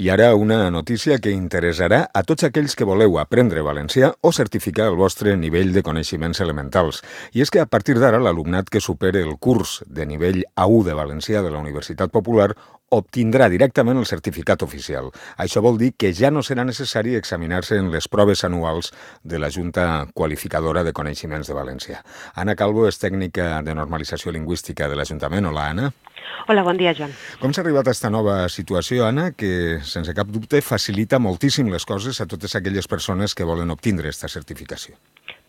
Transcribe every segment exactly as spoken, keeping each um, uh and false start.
I ara una notícia que interessarà a tots aquells que voleu aprendre valencià o certificar el vostre nivell de coneixements elementals. I és que a partir d'ara l'alumnat que supere el curs de nivell A u de valencià de la Universitat Popular obtindrà directament el certificat oficial. Això vol dir que ja no serà necessari examinar-se en les proves anuals de la Junta Qualificadora de Coneixements de Valencià. Anna Calvo és tècnica de normalització lingüística de l'Ajuntament. Hola, Anna. Hola, bon dia, Joan. Com s'ha arribat a aquesta nova situació, Anna, que, sense cap dubte, facilita moltíssim les coses a totes aquelles persones que volen obtindre aquesta certificació?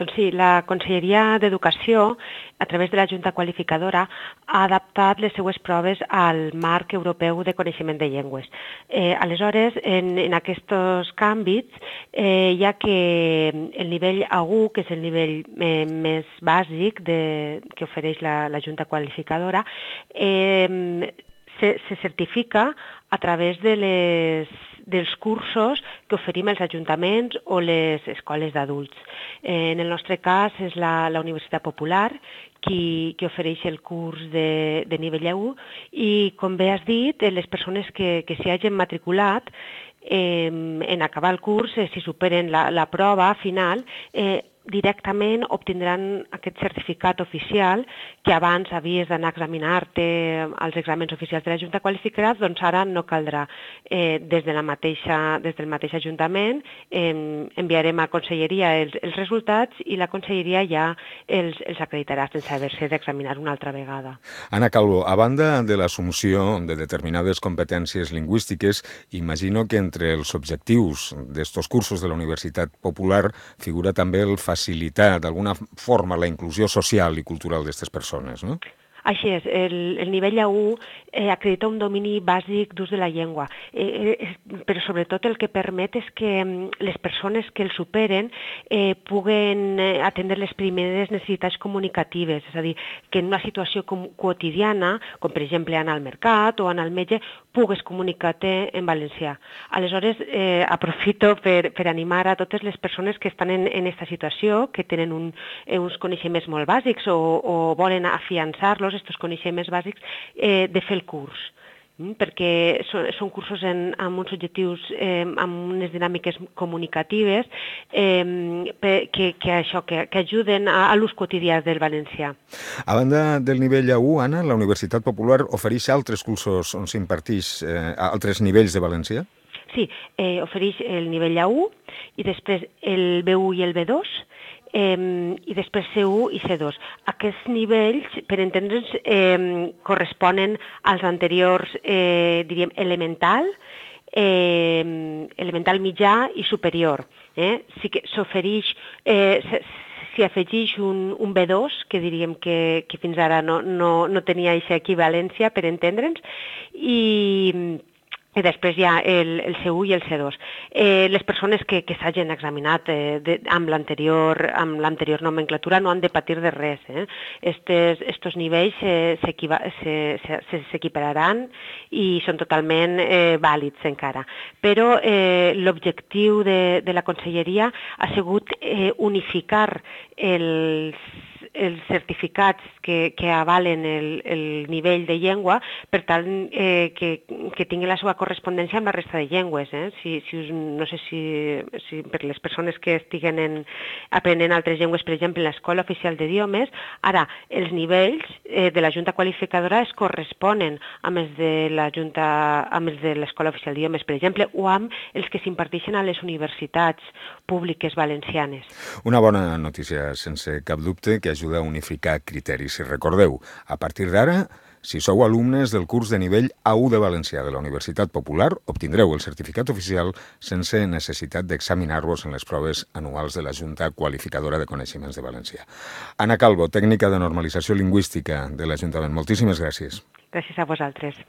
Doncs sí, la Conselleria d'Educació, a través de la Junta Qualificadora, ha adaptat les seues proves al marc europeu de coneixement de llengües. Eh, aleshores, en, en aquests canvis, eh, ja que el nivell A u, que és el nivell eh, més bàsic de, que ofereix la, la Junta Qualificadora, eh, se, se certifica a través de les, dels cursos que oferim els ajuntaments o les escoles d'adults. Eh, en el nostre cas és la, la Universitat Popular qui, qui ofereix el curs de, de nivell A u i, com bé has dit, les persones que, que s'hi hagin matriculat eh, en acabar el curs, eh, si superen la, la prova final, eh, directament obtindran aquest certificat oficial que abans havies d'anar a examinar-te als exàmens oficials de la Junta Qualificada, doncs ara no caldrà. Eh, des, de la mateixa, des del mateix Ajuntament eh, enviarem a Conselleria els, els resultats i la Conselleria ja els, els acreditarà sense haver-se d'examinar una altra vegada. Anna Calvo, a banda de l'assumpció de determinades competències lingüístiques, imagino que entre els objectius d'estos cursos de la Universitat Popular figura també el facilitar d'alguna forma la inclusió social i cultural d'aquestes persones, no? Així és, el, el nivell A u eh, acredita un domini bàsic d'ús de la llengua, eh, eh, però sobretot el que permet és que les persones que el superen eh, puguen atendre les primeres necessitats comunicatives, és a dir, que en una situació com, quotidiana, com per exemple anar al mercat o anar al metge, pugues comunicar-te en valencià. Aleshores, eh, aprofito per, per animar a totes les persones que estan en aquesta situació, que tenen un, eh, uns coneixements molt bàsics o, o volen afiançar-los, aquests coneixements bàsics, eh, de fer el curs, mm? perquè són, són cursos en, amb uns objectius, eh, amb unes dinàmiques comunicatives eh, que, que, això, que, que ajuden a, a l'ús quotidià del valencià. A banda del nivell A u, Anna, la Universitat Popular ofereix altres cursos on s'imparteix eh, altres nivells de valencià? Sí, eh, ofereix el nivell A u i després el B u i el B dos, Eh, i després C u i C dos. Aquests nivells, per entendre'ns, eh, corresponen als anteriors, eh, diríem, elemental, eh, elemental mitjà i superior. Eh? Sí que s'ofereix, eh, s'hi afegeix un, un B dos, que diríem que, que fins ara no, no, no tenia aquesta equivalència, per entendre'ns, i... i després hi ha el, el C u i el C dos. Eh, les persones que, que s'hagin examinat eh, de, amb l'anterior amb l'anterior nomenclatura no han de patir de res. Eh? Estes, estos nivells eh, s'equipararan i són totalment eh, vàlids encara. Però eh, l'objectiu de, de la Conselleria ha sigut eh, unificar els els certificats que, que avalen el, el nivell de llengua per tal eh, que, que tingui la seva correspondència amb la resta de llengües. Eh? Si, si us, no sé si, si per les persones que estiguen en, aprenent altres llengües, per exemple, en l'Escola Oficial d'Idiomes, ara els nivells eh, de la Junta Qualificadora es corresponen amb els de la Junta, amb els de l'Escola Oficial d'Idiomes, per exemple, o amb els que s'imparteixen a les universitats públiques valencianes. Una bona notícia, sense cap dubte, que ajuda a unificar criteris. Si recordeu, a partir d'ara, si sou alumnes del curs de nivell A u de valencià de la Universitat Popular, obtindreu el certificat oficial sense necessitat d'examinar-vos en les proves anuals de la Junta Qualificadora de Coneixements de Valencià. Anna Calvo, tècnica de normalització lingüística de l'Ajuntament. Moltíssimes gràcies. Gràcies a vosaltres.